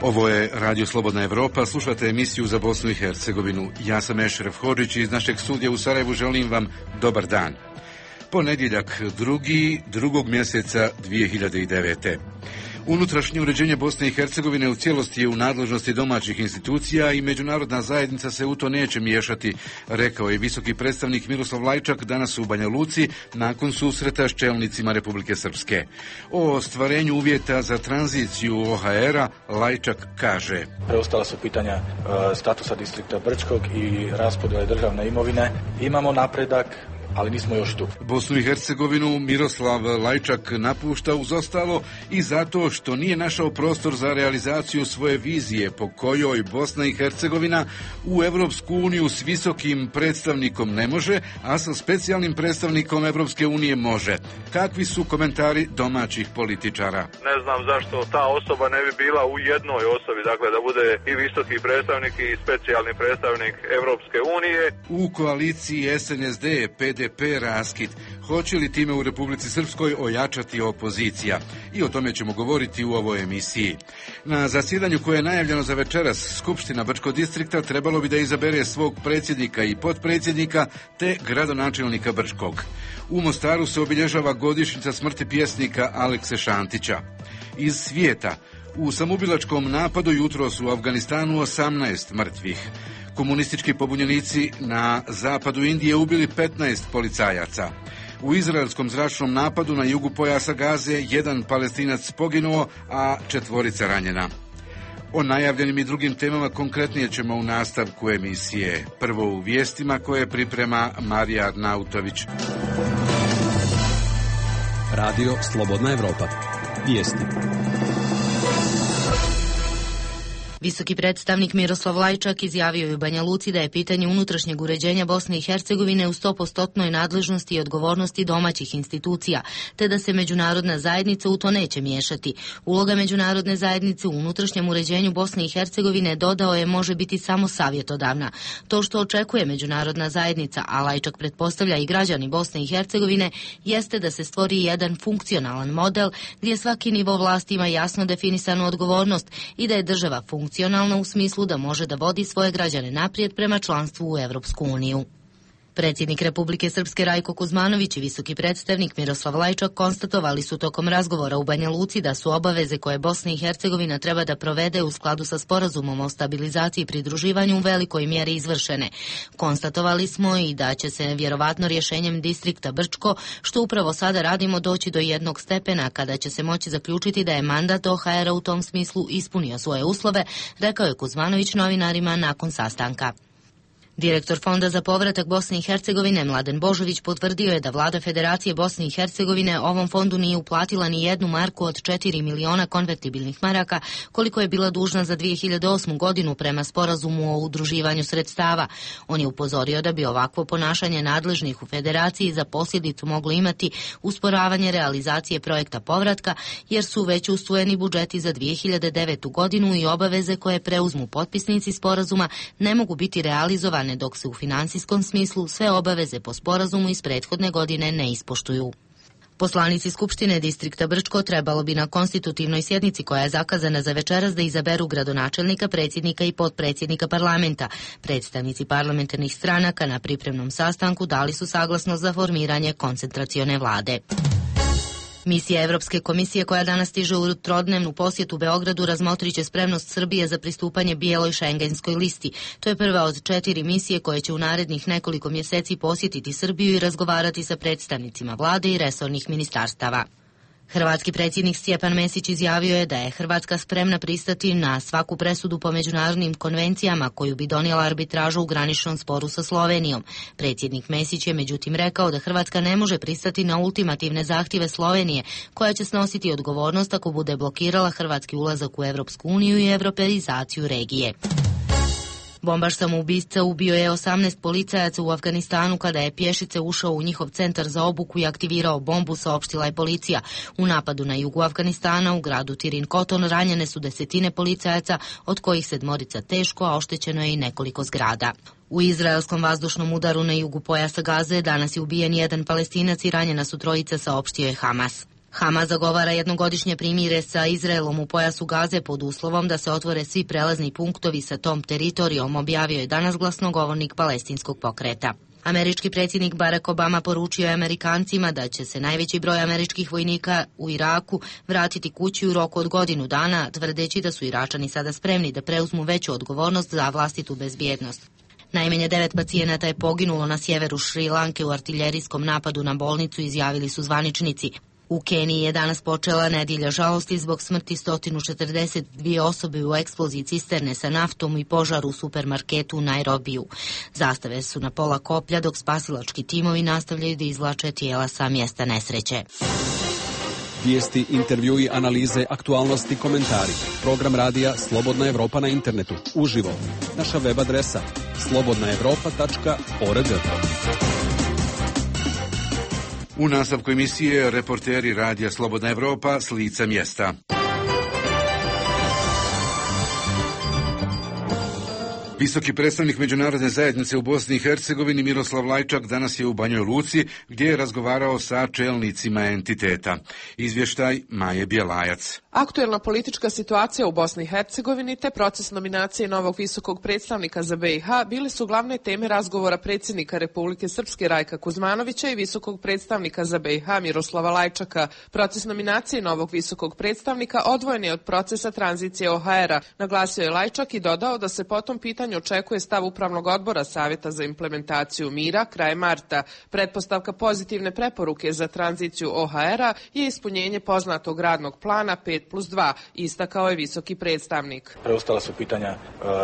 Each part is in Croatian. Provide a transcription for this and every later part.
Ovo je Radio Slobodna Evropa, slušate emisiju za Bosnu i Hercegovinu. Ja sam Ešref Hodžić i iz našeg studija u Sarajevu želim vam dobar dan. Ponedjeljak, drugog mjeseca 2009. Unutrašnje uređenje Bosne i Hercegovine u cijelosti je u nadležnosti domaćih institucija i međunarodna zajednica se u to neće miješati, rekao je visoki predstavnik Miroslav Lajčak danas u Banja Luci nakon susreta s čelnicima Republike Srpske. O ostvarenju uvjeta za tranziciju OHR-a Lajčak kaže: Preostala su pitanja statusa distrikta Brčkog i raspodjele državne imovine. Imamo napredak, ali nismo još tu. Bosnu i Hercegovinu Miroslav Lajčak napušta uz ostalo i zato što nije našao prostor za realizaciju svoje vizije po kojoj Bosna i Hercegovina u Evropsku uniju s visokim predstavnikom ne može, a sa specijalnim predstavnikom Evropske unije može. Kakvi su komentari domaćih političara? Ne znam zašto ta osoba ne bi bila u jednoj osobi, dakle da bude i visoki predstavnik i specijalni predstavnik Evropske unije. U koaliciji SNSD, PDP raskid. Hoće li time u Republici Srpskoj ojačati opozicija? I o tome ćemo govoriti u ovoj emisiji. Na zasjedanju koje je najavljeno za večeras, Skupština Brčkog distrikta trebalo bi da izabere svog predsjednika i potpredsjednika te gradonačelnika Brčkog. U Mostaru se obilježava godišnjica smrti pjesnika Alekse Šantića. Iz svijeta. U samoubilačkom napadu jutros u Afganistanu 18 mrtvih. Komunistički pobunjenici na zapadu Indije ubili 15 policajaca. U izraelskom zračnom napadu na jugu pojasa Gaze 1 Palestinac poginuo, a 4 ranjena. O najavljenim i drugim temama konkretnije ćemo u nastavku emisije. Prvo u vijestima koje priprema Marija Arnautović. Radio Slobodna Evropa. Vijesti. Visoki predstavnik Miroslav Lajčak izjavio je u Banja Luci da je pitanje unutrašnjeg uređenja Bosne i Hercegovine u 100% nadležnosti i odgovornosti domaćih institucija, te da se međunarodna zajednica u to neće miješati. Uloga međunarodne zajednice u unutrašnjem uređenju Bosne i Hercegovine, dodao je, može biti samo savjetodavna. To što očekuje međunarodna zajednica, a Lajčak pretpostavlja i građani Bosne i Hercegovine, jeste da se stvori jedan funkcionalan model gdje svaki nivo vlasti ima jasno definisanu odgovornost i da je država funkcionalna u smislu da može da vodi svoje građane naprijed prema članstvu u Evropsku uniju. Predsjednik Republike Srpske Rajko Kuzmanović i visoki predstavnik Miroslav Lajčak konstatovali su tokom razgovora u Banja Luci da su obaveze koje Bosna i Hercegovina treba da provede u skladu sa sporazumom o stabilizaciji i pridruživanju u velikoj mjeri izvršene. Konstatovali smo i da će se vjerovatno rješenjem distrikta Brčko, što upravo sada radimo, doći do jednog stepena kada će se moći zaključiti da je mandat OHR-a u tom smislu ispunio svoje uslove, rekao je Kuzmanović novinarima nakon sastanka. Direktor Fonda za povratak Bosne i Hercegovine Mladen Božović potvrdio je da vlada Federacije Bosne i Hercegovine ovom fondu nije uplatila ni 1 marku od 4 miliona konvertibilnih maraka, koliko je bila dužna za 2008. godinu prema sporazumu o udruživanju sredstava. On je upozorio da bi ovakvo ponašanje nadležnih u Federaciji za posljedicu moglo imati usporavanje realizacije projekta povratka, jer su već usvojeni budžeti za 2009. godinu i obaveze koje preuzmu potpisnici sporazuma ne mogu biti realizovane dok se u financijskom smislu sve obaveze po sporazumu iz prethodne godine ne ispoštuju. Poslanici Skupštine distrikta Brčko trebalo bi na konstitutivnoj sjednici koja je zakazana za večeras da izaberu gradonačelnika, predsjednika i potpredsjednika parlamenta. Predstavnici parlamentarnih stranaka na pripremnom sastanku dali su saglasnost za formiranje koncentracione vlade. Misija Evropske komisije koja danas stiže u trodnevnu posjetu Beogradu razmotrit će spremnost Srbije za pristupanje bijeloj šengenskoj listi. To je prva od 4 misije koje će u narednih nekoliko mjeseci posjetiti Srbiju i razgovarati sa predstavnicima vlade i resornih ministarstava. Hrvatski predsjednik Stjepan Mesić izjavio je da je Hrvatska spremna pristati na svaku presudu po međunarodnim konvencijama koju bi donijela arbitraža u graničnom sporu sa Slovenijom. Predsjednik Mesić je međutim rekao da Hrvatska ne može pristati na ultimativne zahtjeve Slovenije, koja će snositi odgovornost ako bude blokirala hrvatski ulazak u Evropsku uniju i europeizaciju regije. Bombaš samoubica ubio je 18 policajaca u Afganistanu kada je pješice ušao u njihov centar za obuku i aktivirao bombu, saopštila je policija. U napadu na jugu Afganistana u gradu Tirin Koton ranjene su 10 policajaca, od kojih 7 teško, a oštećeno je i nekoliko zgrada. U izraelskom vazdušnom udaru na jugu pojasa Gaze danas je ubijen 1 Palestinac i ranjena su 3, saopštio je Hamas. Hamas zagovara jednogodišnje primire sa Izraelom u pojasu Gaze pod uslovom da se otvore svi prelazni punktovi sa tom teritorijom, objavio je danas glasnogovornik palestinskog pokreta. Američki predsjednik Barack Obama poručio je Amerikancima da će se najveći broj američkih vojnika u Iraku vratiti kući u roku od godinu dana, tvrdeći da su Iračani sada spremni da preuzmu veću odgovornost za vlastitu bezbjednost. Najmanje 9 pacijenata je poginulo na sjeveru Šri Lanke u artiljerijskom napadu na bolnicu, izjavili su zvaničnici. U Keniji je danas počela nedjelja žalosti zbog smrti 142 osobe u eksploziji cisterne sa naftom i požaru u supermarketu u Nairobiju. Zastave su na pola koplja, dok spasilački timovi nastavljaju da izvlače tijela sa mjesta nesreće. Vijesti, intervjui, analize, aktualnosti, komentari. Program radija Slobodna Evropa na internetu. Uživo. Naša web adresa slobodnaevropa.org. U nastavku emisije reporteri radija Slobodna Evropa s lica mjesta. Visoki predstavnik međunarodne zajednice u Bosni i Hercegovini Miroslav Lajčak danas je u Banjoj Luci gdje je razgovarao sa čelnicima entiteta. Izvještaj Maje Bjelajac. Aktuelna politička situacija u Bosni i Hercegovini te proces nominacije novog visokog predstavnika za BiH bile su glavne teme razgovora predsjednika Republike Srpske Rajka Kuzmanovića i visokog predstavnika za BiH Miroslava Lajčaka. Proces nominacije novog visokog predstavnika odvojen je od procesa tranzicije OHR-a, naglasio je Lajčak i dodao da se po tom pitanju očekuje stav Upravnog odbora Savjeta za implementaciju mira krajem marta. Pretpostavka pozitivne preporuke za tranziciju OHR-a je ispunjenje poznatog radnog plana 5+2, istakao je visoki predstavnik. Preostala su pitanja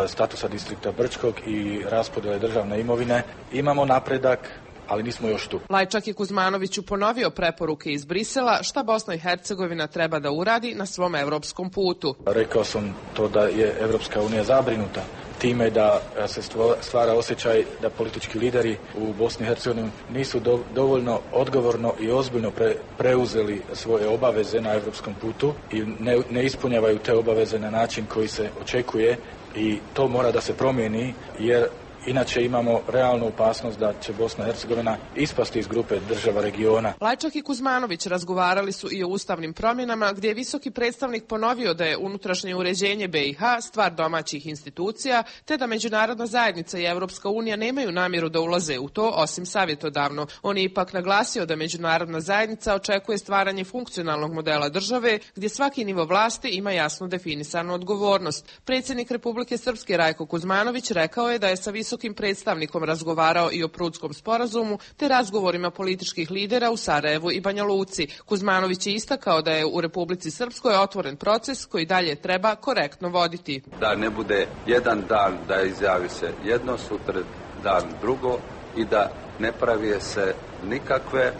statusa distrikta Brčkog i raspodjele državne imovine. Imamo napredak, ali nismo još tu. Lajčak je Kuzmanoviću ponovio preporuke iz Brisela šta Bosna i Hercegovina treba da uradi na svom evropskom putu. Rekao sam to da je Evropska unija zabrinuta time da se stvara osjećaj da politički lideri u Bosni i Hercegovini nisu dovoljno odgovorno i ozbiljno preuzeli svoje obaveze na evropskom putu i ne ispunjavaju te obaveze na način koji se očekuje i to mora da se promijeni jer inače imamo realnu opasnost da će Bosna i Hercegovina ispasti iz grupe država regiona. Lajčak i Kuzmanović razgovarali su i o ustavnim promjenama, gdje je visoki predstavnik ponovio da je unutrašnje uređenje BiH stvar domaćih institucija, te da međunarodna zajednica i Evropska unija nemaju namjeru da ulaze u to, osim savjetodavno. On je ipak naglasio da međunarodna zajednica očekuje stvaranje funkcionalnog modela države, gdje svaki nivo vlasti ima jasno definisanu odgovornost. Predsjednik Republike Srpske Rajko Kuzmanović rekao je da je sa visokim predstavnikom razgovarao i o Prudskom sporazumu te razgovorima političkih lidera u Sarajevu i Banja Luci. Kuzmanović je istakao da je u Republici Srpskoj otvoren proces koji dalje treba korektno voditi. Da ne bude jedan dan da izjavi se jedno, sutra dan drugo i da ne pravi se nikakve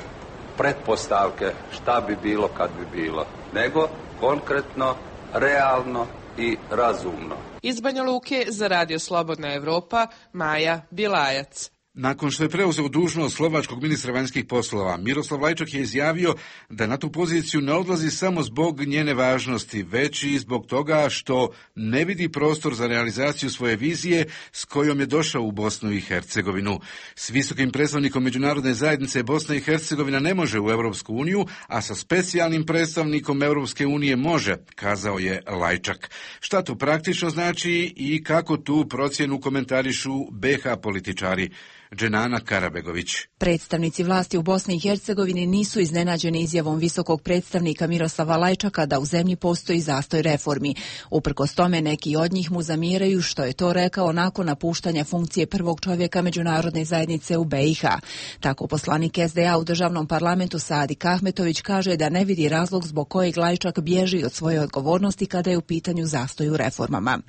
pretpostavke šta bi bilo kad bi bilo, nego konkretno, realno i razumno. Iz Banja Luke za Radio Slobodna Evropa, Maja Bjelajac. Nakon što je preuzeo dužnost slovačkog ministra vanjskih poslova, Miroslav Lajčak je izjavio da na tu poziciju ne odlazi samo zbog njene važnosti, već i zbog toga što ne vidi prostor za realizaciju svoje vizije s kojom je došao u Bosnu i Hercegovinu. S visokim predstavnikom međunarodne zajednice Bosna i Hercegovina ne može u Europsku uniju, a sa specijalnim predstavnikom Europske unije može, kazao je Lajčak. Šta to praktično znači i kako tu procjenu komentarišu BiH političari? Dženana Karabegović. Predstavnici vlasti u Bosni i Hercegovini nisu iznenađeni izjavom visokog predstavnika Miroslava Lajčaka da u zemlji postoji zastoj reformi. Uprkos tome neki od njih mu zamjeraju što je to rekao nakon napuštanja funkcije prvog čovjeka međunarodne zajednice u BiH. Tako poslanik SDA u državnom parlamentu Saadik Ahmetović kaže da ne vidi razlog zbog kojeg Lajčak bježi od svoje odgovornosti kada je u pitanju zastoj u reformama.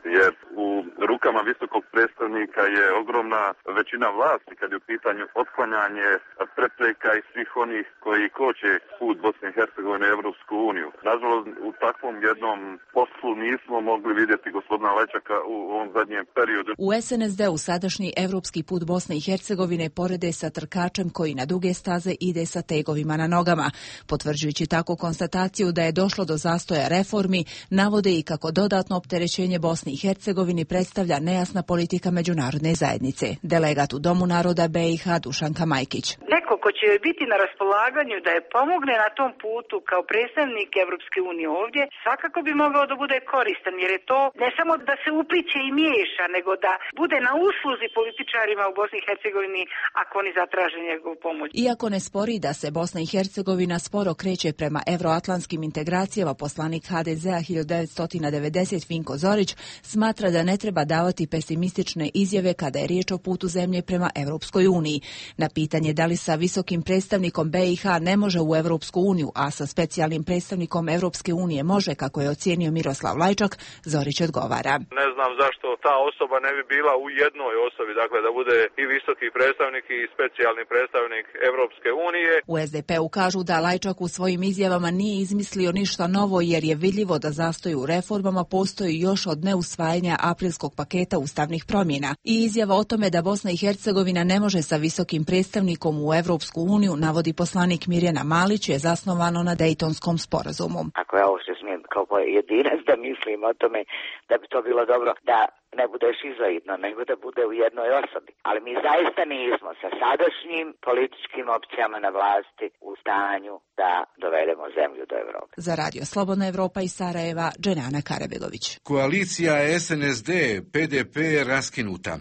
Rukama visokog predstavnika je ogromna većina vlasti kad je u pitanju otklanjanje prepreka i svih onih koji koče put Bosne i Hercegovine u Evropsku uniju. Nažalost, u takvom jednom poslu nismo mogli vidjeti gospodina Lajčaka u ovom zadnjem periodu. U SNSD-u sadašnji evropski put Bosne i Hercegovine porede sa trkačem koji na duge staze ide sa tegovima na nogama. Potvrđujući tako konstataciju da je došlo do zastoja reformi, navode i kako dodatno opterećenje Bosni i Hercegovini predstavlja nejasna politika međunarodne zajednice. Delegat u Domu naroda BiH Dušanka Majkić. Neko ko će će joj biti na raspolaganju da je pomogne na tom putu kao predstavnik Evropske unije ovdje, svakako bi mogao da bude koristan, jer je to ne samo da se upliće i miješa, nego da bude na usluzi političarima u Bosni i Hercegovini ako oni zatraže njegovu pomoć. Iako ne spori da se Bosna i Hercegovina sporo kreće prema evroatlantskim integracijama, poslanik HDZ-a 1990 Vinko Zorić smatra da ne treba davati pesimistične izjave kada je riječ o putu zemlje prema Europskoj uniji. Na pitanje da li sa visokim predstavnikom BiH ne može u Europsku uniju, a sa specijalnim predstavnikom Europske unije može, kako je ocijenio Miroslav Lajčak, Zorić odgovara. Ne znam zašto ta osoba ne bi bila u jednoj osobi, dakle da bude i visoki predstavnik i specijalni predstavnik Europske unije. U SDP-u kažu da Lajčak u svojim izjavama nije izmislio ništa novo, jer je vidljivo da zastoj u reformama postoji još od neusvajanja aprilskog paketa ustavnih promjena. I izjava o tome da Bosna i Hercegovina ne može sa visokim predstavnikom u Europsku uniju, navodi poslanik Mirjana Malić, je zasnovano na Dejtonskom sporazumu. Ako ja ovo se smijem kao pojedinac da mislim o tome da bi to bilo dobro da ne bude šizoidno, nego da bude u jednoj osobi. Ali mi zaista nismo sa sadašnjim političkim opcijama na vlasti u stanju da dovedemo zemlju do Evrope. Za Radio Slobodna Evropa iz Sarajeva, Dženana Karabegović. Koalicija SNSD PDP raskinuta.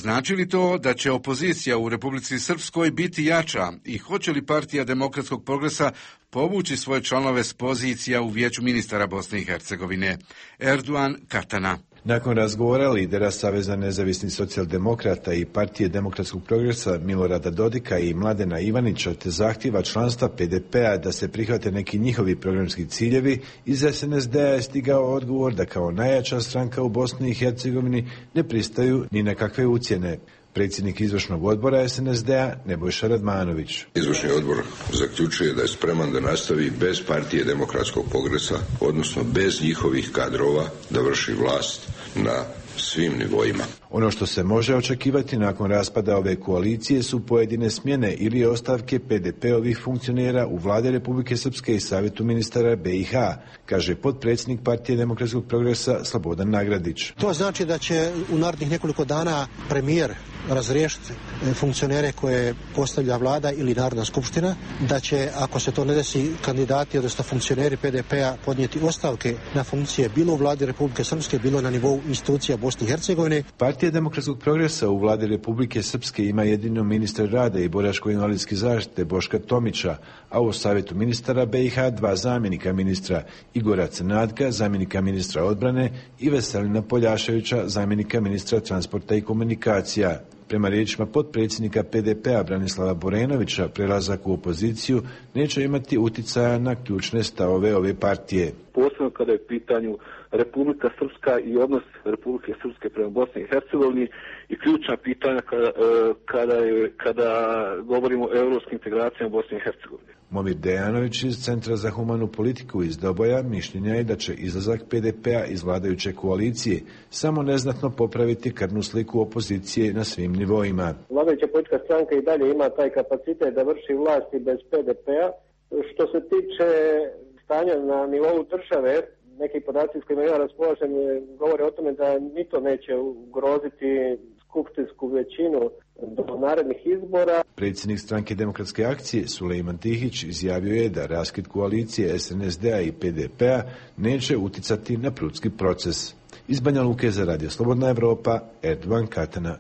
Znači li to da će opozicija u Republici Srpskoj biti jača i hoće li partija Demokratskog progresa povući svoje članove s pozicija u Vijeću ministara Bosne i Hercegovine? Erdogan Katana. Nakon razgovora lidera Saveza nezavisnih socijaldemokrata i partije Demokratskog progresa Milorada Dodika i Mladena Ivanića te zahtjeva članstva PDP-a da se prihvate neki njihovi programski ciljevi, iz SNSD-a je stigao odgovor da kao najjača stranka u Bosni i Hercegovini ne pristaju ni na kakve ucjene. Predsjednik izvršnog odbora SNSD-a Nebojša Radmanović. Izvršni odbor zaključuje da je spreman da nastavi bez partije Demokratskog progresa, odnosno bez njihovih kadrova, da vrši vlast na svim nivoima. Ono što se može očekivati nakon raspada ove koalicije su pojedine smjene ili ostavke PDP-ovih funkcionera u vlade Republike Srpske i Savjetu ministara BiH, kaže potpredsjednik partije Demokratskog progresa Slobodan Nagradić. To znači da će u narednih nekoliko dana premijer razriješiti funkcionere koje postavlja vlada ili Narodna skupština, da će, ako se to ne desi, kandidati, odnosno funkcioneri PDP-a podnijeti ostavke na funkcije bilo u vladi Republike Srpske, bilo na nivou institucija Bosne i Hercegovine. Partija Demokratskog progresa u vladi Republike Srpske ima jedino ministra rada i boračko-invalidske zaštite Boška Tomića, a u Savjetu ministara BiH 2 zamjenika ministra, Igora Crnadka, zamjenika ministra odbrane, i Veselina Poljaševića, zamjenika ministra transporta i komunikacija. Prema riječima potpredsjednika PDP-a Branislava Borenovića, prelazak u opoziciju neće imati utjecaja na ključne stavove ove partije. Posebno kada je u pitanju Republika Srpska i odnos Republike Srpske prema Bosni i Hercegovini i ključna pitanja kada govorimo o europskim integracijama Bosne i Hercegovine. Momir Dejanović iz Centra za humanu politiku iz Doboja mišljenja je da će izlazak PDP-a iz vladajuće koalicije samo neznatno popraviti krvnu sliku opozicije na svim nivoima. Vladajuća politička stranka i dalje ima taj kapacitet da vrši vlasti bez PDP-a. Što se tiče stanja na nivou države, neki podaci s kojima ja raspolažem govore o tome da ni to neće ugroziti skupštinsku većinu do narednih izbora. Predsjednik stranke Demokratske akcije Sulejman Tihić izjavio je da raskid koalicije SNSD-a i PDP-a neće uticati na prudski proces. Iz Banja Luke za Radio Slobodna Evropa, Erdogan Katana.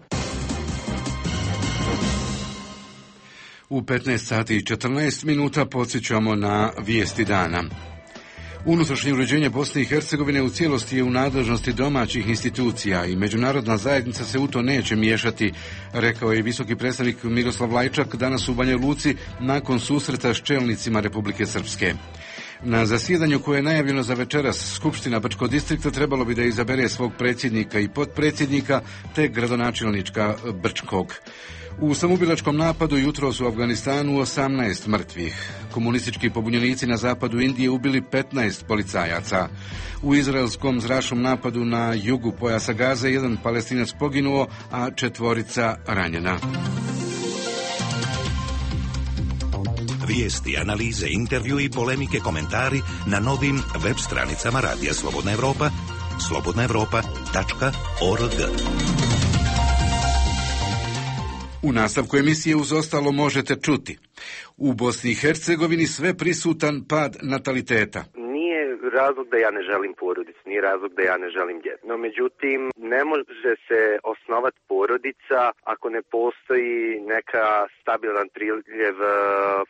U 15 sati i 14 minuta podsjećamo na vijesti dana. Unutrašnje uređenje Bosne i Hercegovine u cijelosti je u nadležnosti domaćih institucija i međunarodna zajednica se u to neće miješati, rekao je visoki predstavnik Miroslav Lajčak danas u Banja Luci nakon susreta s čelnicima Republike Srpske. Na zasjedanju koje je najavljeno za večeras, Skupština Brčkog distrikta trebalo bi da izabere svog predsjednika i potpredsjednika te gradonačelnička Brčkog. U samoubilačkom napadu jutros u Afganistanu 18 mrtvih. Komunistički pobunjenici na zapadu Indije ubili 15 policajaca. U izraelskom zračnom napadu na jugu pojasa Gaze 1 Palestinac poginuo, a 4 ranjena. Vijesti, analize, intervju i polemike, komentari na novim web stranicama Radija Slobodna Evropa, slobodnaevropa.org. U nastavku emisije uz ostalo možete čuti. U Bosni i Hercegovini sve prisutan pad nataliteta. Nije razlog da ja ne želim porodicu, nije razlog da ja ne želim djecu. No međutim, ne može se osnovati porodica ako ne postoji neka stabilan priljev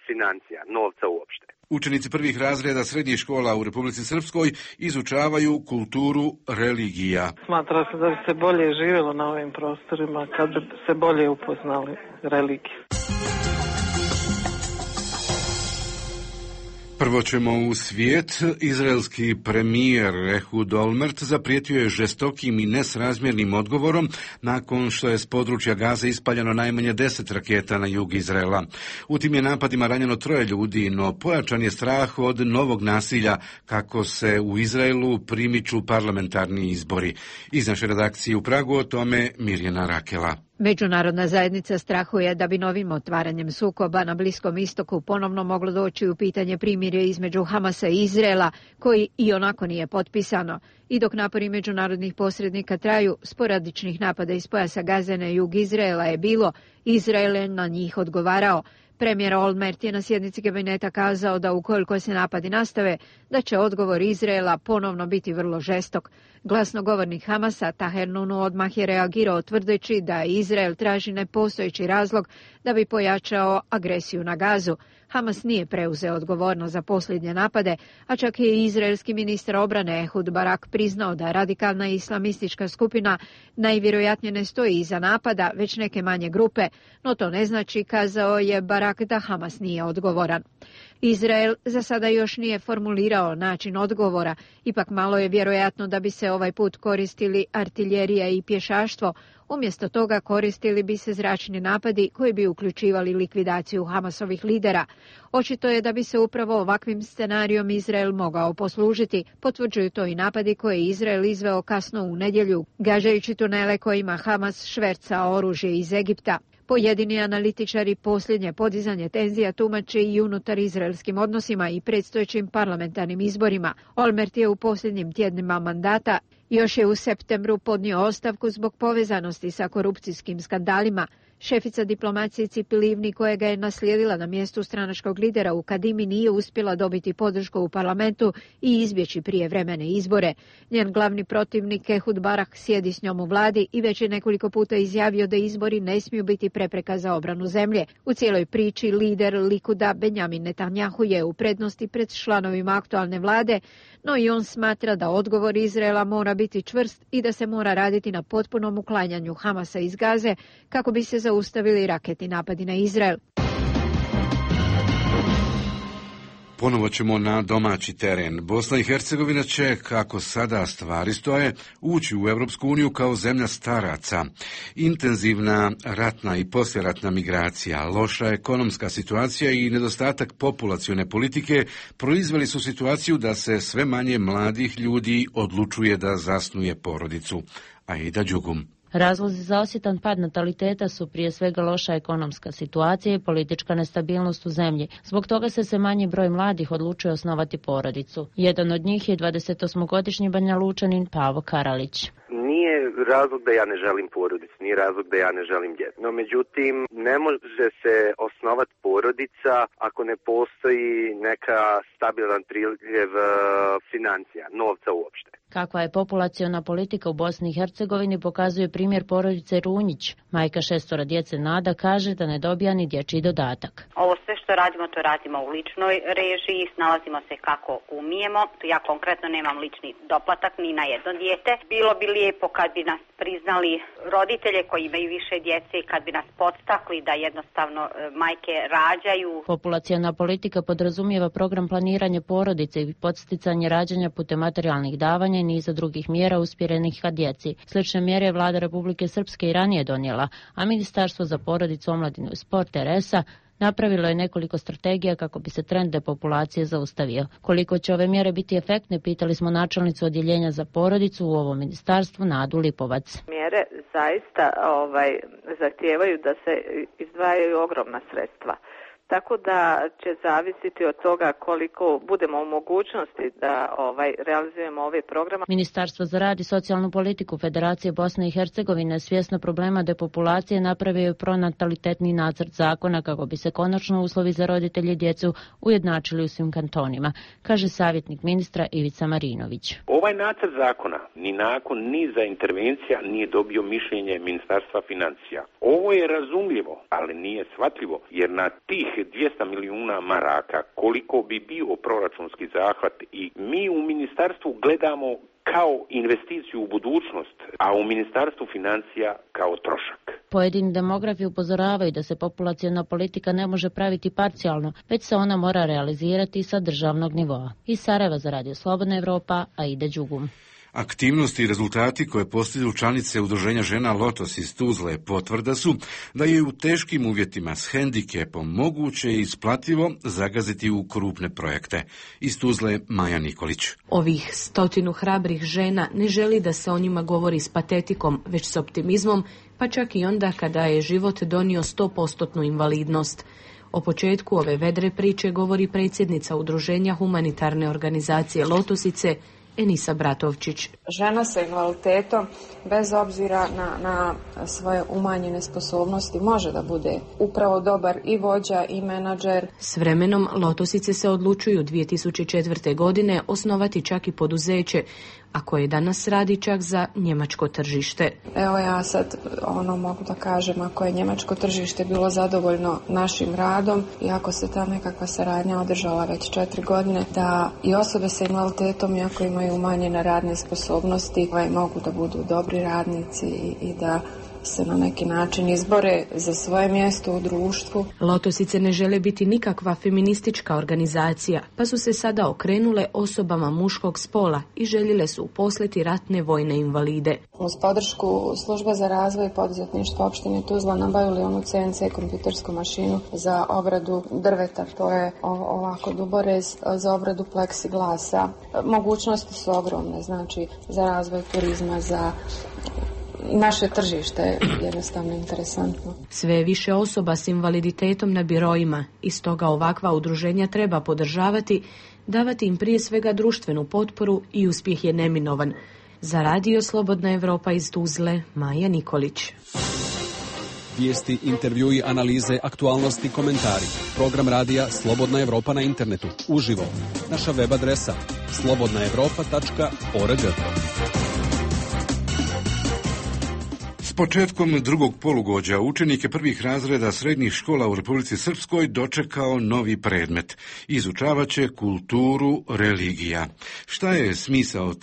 financija, novca uopšte. Učenici prvih razreda srednjih škola u Republici Srpskoj izučavaju kulturu religija. Smatra se da bi se bolje živjelo na ovim prostorima kad bi se bolje upoznali religiju. Prvo ćemo u svijet. Izraelski premijer Ehud Olmert zaprijetio je žestokim i nesrazmjernim odgovorom nakon što je s područja Gaze ispaljeno najmanje 10 raketa na jug Izraela. U tim je napadima ranjeno 3 ljudi, no pojačan je strah od novog nasilja kako se u Izraelu primiču parlamentarni izbori. Iz naše redakcije u Pragu o tome Mirjana Rakela. Međunarodna zajednica strahuje da bi novim otvaranjem sukoba na Bliskom istoku ponovno moglo doći u pitanje primirje između Hamasa i Izraela, koji i onako nije potpisano. I dok napori međunarodnih posrednika traju, sporadičnih napada iz pojasa Gaze na jug Izraela je bilo, Izrael je na njih odgovarao. Premijer Olmert je na sjednici kabineta kazao da ukoliko se napadi nastave, da će odgovor Izraela ponovno biti vrlo žestok. Glasnogovornik Hamasa Taher Nunu odmah je reagirao tvrdeći da Izrael traži nepostojeći razlog da bi pojačao agresiju na Gazu. Hamas nije preuzeo odgovornost za posljednje napade, a čak je i izraelski ministar obrane Ehud Barak priznao da radikalna islamistička skupina najvjerojatnije ne stoji iza napada, već neke manje grupe, no to ne znači, kazao je Barak, da Hamas nije odgovoran. Izrael za sada još nije formulirao način odgovora, ipak malo je vjerojatno da bi se ovaj put koristili artiljerija i pješaštvo, umjesto toga koristili bi se zračni napadi koji bi uključivali likvidaciju Hamasovih lidera. Očito je da bi se upravo ovakvim scenarijom Izrael mogao poslužiti, potvrđuju to i napadi koje je Izrael izveo kasno u nedjelju, gažajući tunele kojima Hamas šverca oružje iz Egipta. Pojedini analitičari posljednje podizanje tenzija tumače i unutar izraelskim odnosima i predstojećim parlamentarnim izborima. Olmert je u posljednjim tjednima mandata još je u septembru podnio ostavku zbog povezanosti sa korupcijskim skandalima. Šefica diplomacije Cipi Livni, koja ga je naslijedila na mjestu stranačkog lidera u Kadimi, nije uspjela dobiti podršku u parlamentu i izbjeći prijevremene izbore. Njen glavni protivnik Ehud Barak sjedi s njom u vladi i već je nekoliko puta izjavio da izbori ne smiju biti prepreka za obranu zemlje. U cijeloj priči lider Likuda Benjamin Netanjahu je u prednosti pred članovima aktualne vlade, no i on smatra da odgovor Izraela mora biti čvrst i da se mora raditi na potpunom uklanjanju Hamasa iz Gaze kako bi se zaustavili raketni napadi na Izrael. Ponovo ćemo na domaći teren. Bosna i Hercegovina će, kako sada stvari stoje, ući u Europsku uniju kao zemlja staraca. Intenzivna ratna i poslijeratna migracija, loša ekonomska situacija i nedostatak populacione politike proizveli su situaciju da se sve manje mladih ljudi odlučuje da zasnuje porodicu. Aida Đugum. Razlozi za osjetan pad nataliteta su prije svega loša ekonomska situacija i politička nestabilnost u zemlji. Zbog toga se sve manji broj mladih odlučuje osnovati porodicu. Jedan od njih je 28-godišnji Banja Lučanin Pavo Karalić. Nije razlog da ja ne želim porodicu, nije razlog da ja ne želim djecu. No međutim, ne može se osnovati porodica ako ne postoji neka stabilan priljev financija, novca uopšte. Kakva je populaciona politika u Bosni i Hercegovini pokazuje primjer porodice Runjić. Majka 6 djece Nada kaže da ne dobija ni dječji dodatak. Ovo sve što radimo, to radimo u ličnoj režiji, snalazimo se kako umijemo. Ja konkretno nemam lični doplatak ni na jedno dijete. Bilo bi lijepo kad bi nas priznali roditelje koji imaju više djece i kad bi nas podstakli da jednostavno majke rađaju. Populaciona politika podrazumijeva program planiranja porodice i podsticanje rađanja putem materijalnih davanja i niza drugih mjera usmjerenih ka djeci. Slične mjere je Vlada Republike Srpske i ranije donijela, a Ministarstvo za porodicu, omladinu i sport RS-a napravilo je nekoliko strategija kako bi se trend depopulacije zaustavio. Koliko će ove mjere biti efektne, pitali smo načelnicu odjeljenja za porodicu u ovom ministarstvu Nadu Lipovac. Mjere zaista zahtijevaju da se izdvajaju ogromna sredstva. tako da će zavisiti od toga koliko budemo u mogućnosti da realizujemo ove programe. Ministarstvo za rad i socijalnu politiku Federacije Bosne i Hercegovine svjesno problema depopulacije napravio je pronatalitetni nacrt zakona kako bi se konačno uslovi za roditelje i djecu ujednačili u svim kantonima, kaže savjetnik ministra Ivica Marinović. Ovaj nacrt zakona ni nakon niza intervencija nije dobio mišljenje Ministarstva financija. Ovo je razumljivo, ali nije shvatljivo, jer na tih 200 milijuna maraka koliko bi bio proračunski zahvat i mi u ministarstvu gledamo kao investiciju u budućnost, a u Ministarstvu financija kao trošak. Pojedini demografi upozoravaju da se populaciona politika ne može praviti parcijalno, već se ona mora realizirati sa državnog nivoa. Iz Sarajeva za Radio Slobodna Evropa, Aida Đugum. Aktivnosti i rezultati koje postignu članice Udruženja žena Lotos iz Tuzle potvrda su da je u teškim uvjetima s hendikepom moguće i isplativo zagaziti u krupne projekte. Iz Tuzle Maja Nikolić. Ovih 100 hrabrih žena ne želi da se o njima govori s patetikom, već s optimizmom, pa čak i onda kada je život donio 100% invalidnost. O početku ove vedre priče govori predsjednica Udruženja humanitarne organizacije Lotosice, Enisa Bratovčić. Žena sa invaliditetom, bez obzira na svoje umanjene sposobnosti, može da bude upravo dobar i vođa i menadžer. S vremenom Lotosice se odlučuju 2004. godine osnovati čak i poduzeće, a koje danas radi čak za njemačko tržište. Evo ja sad mogu da kažem, ako je njemačko tržište bilo zadovoljno našim radom i ako se ta nekakva saradnja održala već 4 godine, da i osobe sa invaliditetom, iako imaju umanjene radne sposobnosti, mogu da budu dobri radnici i da se na neki način izbore za svoje mjesto u društvu. Lotosice ne žele biti nikakva feministička organizacija, pa su se sada okrenule osobama muškog spola i željele su uposliti ratne vojne invalide. Uz podršku Službe za razvoj i poduzetništvo opštine Tuzla nabavili onu CNC kompjutersku mašinu za obradu drveta, to je ovako duborez, za obradu pleksiglasa. Mogućnosti su ogromne, znači za razvoj turizma, za naše tržište je jednostavno interesantno. Sve više osoba s invaliditetom na biroima i stoga ovakva udruženja treba podržavati, davati im prije svega društvenu potporu i uspjeh je neminovan. Za Radio Slobodna Evropa iz Tuzle, Maja Nikolić. Vijesti, intervjui, analize, aktualnosti, komentari. Program radija Slobodna Evropa na internetu, uživo. Naša web adresa slobodnaevropa.org. S početkom drugog polugođa učenike prvih razreda srednjih škola u Republici Srpskoj dočekao novi predmet. Izučavat će kulturu religija. Šta je smisao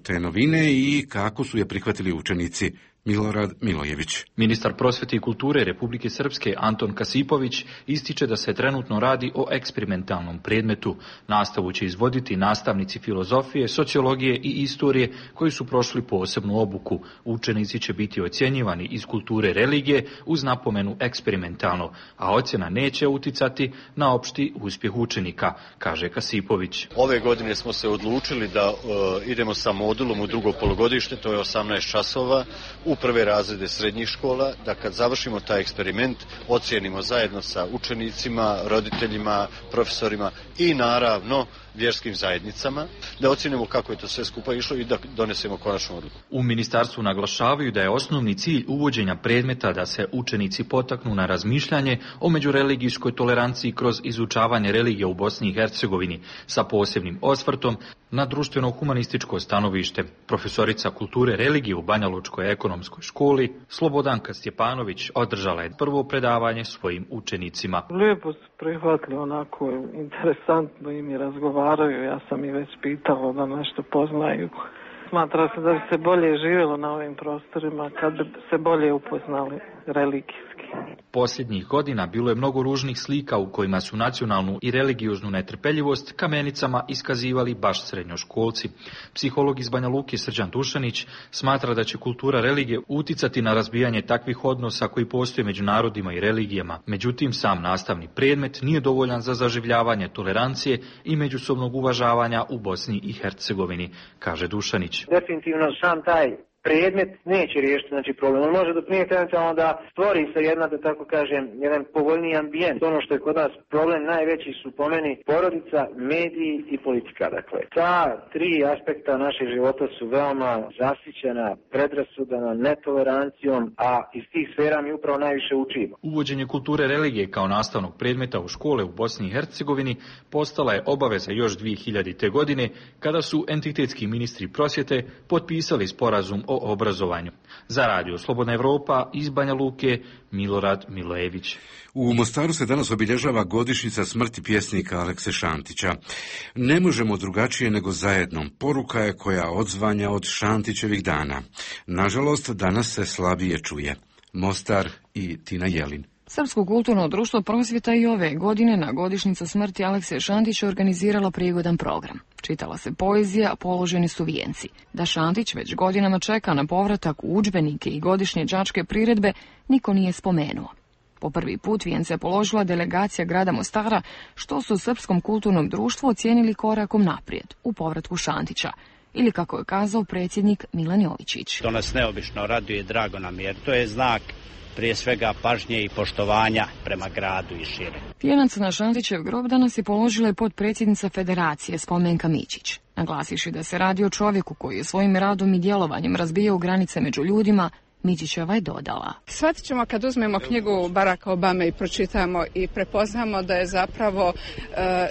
te novine i kako su je prihvatili učenici? Milorad Milojević. Ministar prosvjete i kulture Republike Srpske Anton Kasipović ističe da se trenutno radi o eksperimentalnom predmetu. Nastavu će izvoditi nastavnici filozofije, sociologije i istorije koji su prošli posebnu obuku. Učenici će biti ocjenjivani iz kulture religije uz napomenu eksperimentalno, a ocjena neće uticati na opšti uspjeh učenika, kaže Kasipović. Ove godine smo se odlučili da idemo sa modulom u drugo polugodište, to je 18 časova, u prve razrede srednjih škola, da kad završimo taj eksperiment ocijenimo zajedno sa učenicima, roditeljima, profesorima i naravno vjerskim zajednicama, da ocijenimo kako je to sve skupa išlo i da donesemo konačnu odluku. U ministarstvu naglašavaju da je osnovni cilj uvođenja predmeta da se učenici potaknu na razmišljanje o međureligijskoj toleranciji kroz izučavanje religije u Bosni i Hercegovini sa posebnim osvrtom na društveno-humanističko stanovište. Profesorica kulture religije u Banja Lučkoj ekonomskoj školi Slobodanka Stjepanović održala je prvo predavanje svojim učenicima. Lijepo su prihvatili, onako interesantno im je razgovaraju, ja sam i već pitala da nešto poznaju. Smatra se da bi se bolje živjelo na ovim prostorima kad bi se bolje upoznali religijski. Posljednjih godina bilo je mnogo ružnih slika u kojima su nacionalnu i religioznu netrpeljivost kamenicama iskazivali baš srednjoškolci. Psiholog iz Banja Luke Srđan Dušanić smatra da će kultura religije uticati na razbijanje takvih odnosa koji postoje među narodima i religijama. Međutim, sam nastavni predmet nije dovoljan za zaživljavanje tolerancije i međusobnog uvažavanja u Bosni i Hercegovini, kaže Dušanić. Definitivno sam taj predmet neće riješiti znači problem. On može doprinijeti eventualno da stvori se jedna, da tako kažem, jedan povoljniji ambijent. Ono što je kod nas problem najveći su po meni porodica, mediji i politika. Dakle, ta tri aspekta našeg života su veoma zasićena predrasudama, netolerancijom, a iz tih sfera mi upravo najviše učimo. Uvođenje kulture religije kao nastavnog predmeta u škole u Bosni i Hercegovini postala je obaveza još 2000. godine kada su entitetski ministri prosvjete potpisali sporazum o obrazovanju. Za Radio Slobodna Evropa iz Banja Luke, Milorad Milojević. U Mostaru se danas obilježava godišnjica smrti pjesnika Alekse Šantića. Ne možemo drugačije nego zajedno. Poruka je koja odzvanja od Šantićevih dana. Nažalost, danas se slabije čuje. Mostar i Tina Jelin. Srpsko kulturno društvo Prosvjeta i ove godine na godišnjicu smrti Alekse Šantića organiziralo prigodan program. Čitala se poezija, položeni su vijenci. Da Šantić već godinama čeka na povratak u udžbenike i godišnje đačke priredbe, niko nije spomenuo. Po prvi put vijence je položila delegacija grada Mostara, što su u Srpskom kulturnom društvu ocijenili korakom naprijed u povratku Šantića. Ili kako je kazao predsjednik Milan Jovičić. To nas neobično raduje, drago nam jer to je znak prije svega pažnje i poštovanja prema gradu i šire. Vijenac na Šantićev grob danas je položila i potpredsjednica Federacije Spomenka Mićić, naglasiši da se radi o čovjeku koji je svojim radom i djelovanjem razbijao granice među ljudima. Mićićeva je dodala. Shvatit ćemo kad uzmemo knjigu Baracka Obame i pročitamo i prepoznamo da je zapravo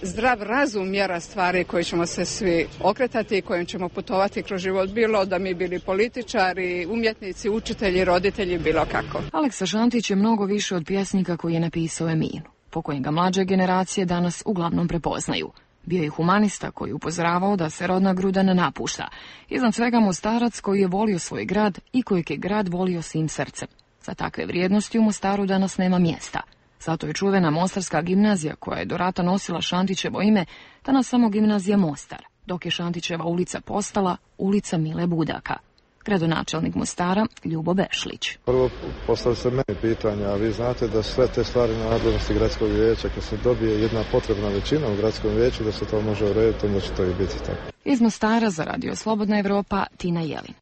zdrav razum mjera stvari koje ćemo se svi okretati i kojim ćemo putovati kroz život, bilo da mi bili političari, umjetnici, učitelji, roditelji, bilo kako. Aleksa Šantić je mnogo više od pjesnika koji je napisao Eminu, po kojem ga mlađe generacije danas uglavnom prepoznaju. Bio je humanista koji upozoravao da se rodna gruda ne napušta. Iznad svega Mostarac koji je volio svoj grad i kojeg je grad volio svim srcem. Za takve vrijednosti u Mostaru danas nema mjesta. Zato je čuvena Mostarska gimnazija koja je do rata nosila Šantićevo ime, danas samo gimnazija Mostar, dok je Šantićeva ulica postala ulica Mile Budaka. Gradonačelnik Mostara Ljubo Bešlić. Prvo postavili se meni pitanja, a vi znate da sve te stvari na nadležnosti gradskog vijeća, kad se dobije jedna potrebna većina u gradskom vijeću, da se to može urediti, onda će to i biti tako. Iz Mostara za Radio Slobodna Evropa, Tina Jelin.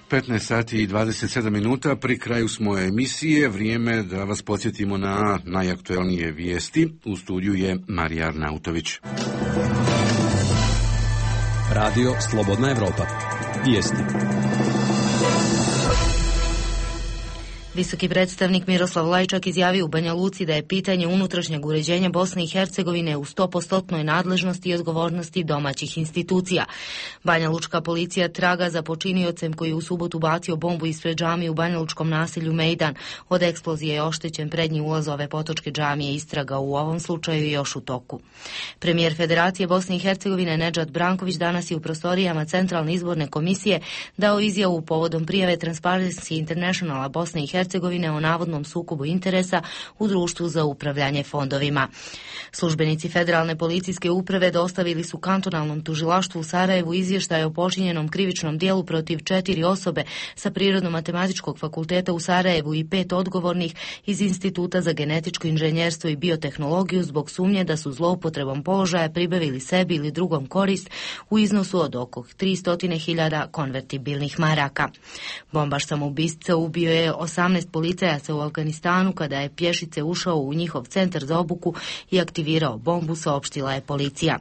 15 sati i 27 minuta, pri kraju smo emisije, vrijeme da vas podsjetimo na najaktuelnije vijesti. U studiju je Marija Arnautović. Radio Slobodna Evropa. Vijesti. Visoki predstavnik Miroslav Lajčak izjavio u Banja Luci da je pitanje unutrašnjeg uređenja Bosne i Hercegovine u 100% nadležnosti i odgovornosti domaćih institucija. Banja Lučka policija traga za počiniocem koji je u subotu bacio bombu ispred džamije u Banja Lučkom naselju Mejdan. Od eksplozije je oštećen prednji ulaz ove potočke džamije, istraga u ovom slučaju još u toku. Premijer Federacije Bosne i Hercegovine Nedžad Branković danas je u prostorijama Centralne izborne komisije dao izjavu povodom prijave Transparency Internationala Bosne i Hercegovine o navodnom sukobu interesa u društvu za upravljanje fondovima. Službenici Federalne policijske uprave dostavili su kantonalnom tužilaštvu u Sarajevu izvještaj o počinjenom krivičnom dijelu protiv 4 osobe sa Prirodno-matematičkog fakulteta u Sarajevu i 5 odgovornih iz Instituta za genetičko inženjerstvo i biotehnologiju zbog sumnje da su zloupotrebom položaja pribavili sebi ili drugom korist u iznosu od oko 300.000 konvertibilnih maraka. Bombaš samoubistva ubio je 18 policajaca u Afganistanu kada je pješice ušao u njihov centar za obuku i aktivirao bombu, saopštila je policija.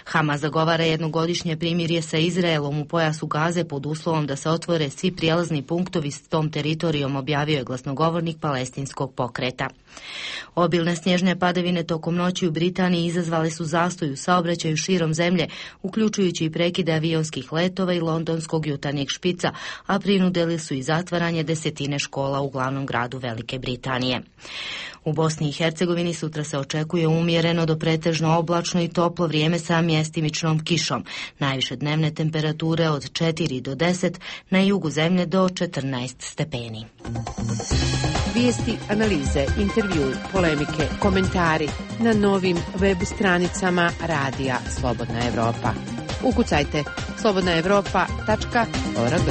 Hamas zagovara jednogodišnje primirje sa Izraelom u pojasu Gaze pod uslovom da se otvore svi prijelazni punktovi s tom teritorijom, objavio je glasnogovornik palestinskog pokreta. Obilne snježne padavine tokom noći u Britaniji izazvale su zastoj u saobraćaju širom zemlje, uključujući i prekide avionskih letova i londonskog jutarnjeg špica, a prinudili su i zatvaranje desetine škola u glavnom gradu Velike Britanije. U Bosni i Hercegovini sutra se očekuje umjereno do pretežno oblačno i toplo vrijeme sa mjestimičnom kišom. Najviše dnevne temperature od 4 do 10, na jugu zemlje do 14 stepeni. Vijesti, analize, intervju, polemike, komentari na novim web stranicama Radija Slobodna Evropa. Ukucajte slobodnaevropa.org.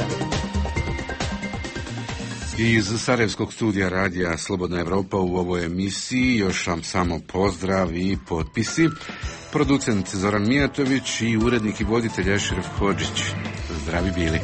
Iz Sarajevskog studija Radija Slobodna Evropa u ovoj emisiji još vam samo pozdrav i potpisi. producent Zoran Mijatović i urednik i voditelj Ešref Hodžić. Zdravi bili.